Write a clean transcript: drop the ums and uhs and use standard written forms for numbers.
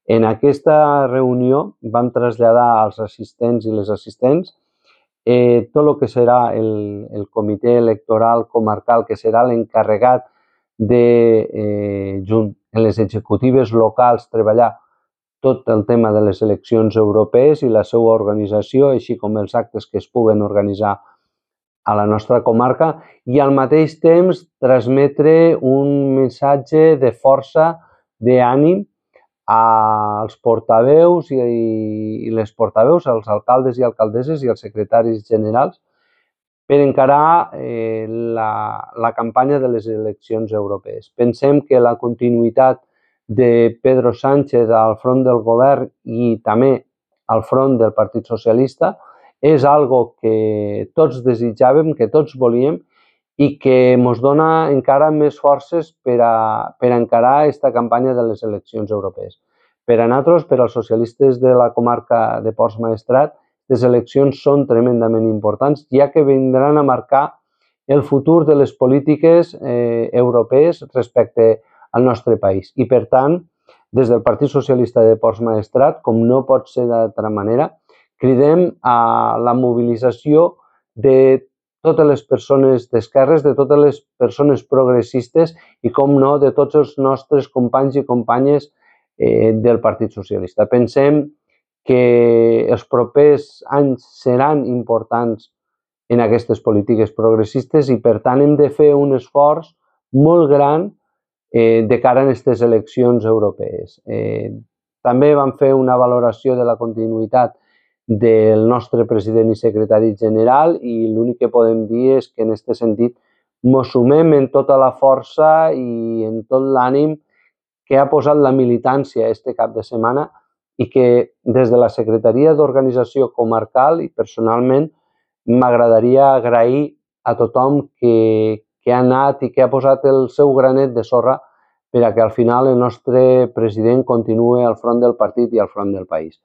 En aquesta reunió vam traslladar als assistents i les assistents tot el que serà el comitè electoral comarcal, que serà l'encarregat de, junt en les executives locals, treballar tot el tema de les eleccions europees i la seva organització, així com els actes que es puguen organitzar a la nostra comarca, i al mateix temps transmetre un missatge de força, d'ànim, als portaveus i les portaveus, als alcaldes i alcaldesses i als secretaris generals per encarar la campanya de les eleccions europees. Pensem que la continuïtat de Pedro Sánchez al front del govern i també al front del Partit Socialista és algo que tots desitjàvem, que tots volíem i que ens dona encara més forces per encarar aquesta campanya de les eleccions europees. Per a nosaltres, per als socialistes de la comarca de Ports Maestrat, les eleccions són tremendament importants, ja que vindran a marcar el futur de les polítiques europees respecte al nostre país. I, per tant, des del Partit Socialista de Ports Maestrat, com no pot ser d'altra manera, cridem a la mobilització de totes les persones d'esquerres, de totes les persones progressistes i, com no, de tots els nostres companys i companyes del Partit Socialista. Pensem que els propers anys seran importants en aquestes polítiques progressistes i, per tant, hem de fer un esforç molt gran de cara a aquestes eleccions europees. També vam fer una valoració de la continuïtat del nostre president i secretari general i l'únic que podem dir és que en aquest sentit ens sumem en tota la força i en tot l'ànim que ha posat la militància este cap de setmana i que des de la Secretaria d'Organització Comarcal i personalment m'agradaria agrair a tothom que ha anat i que ha posat el seu granet de sorra per a que al final el nostre president continuï al front del partit i al front del país.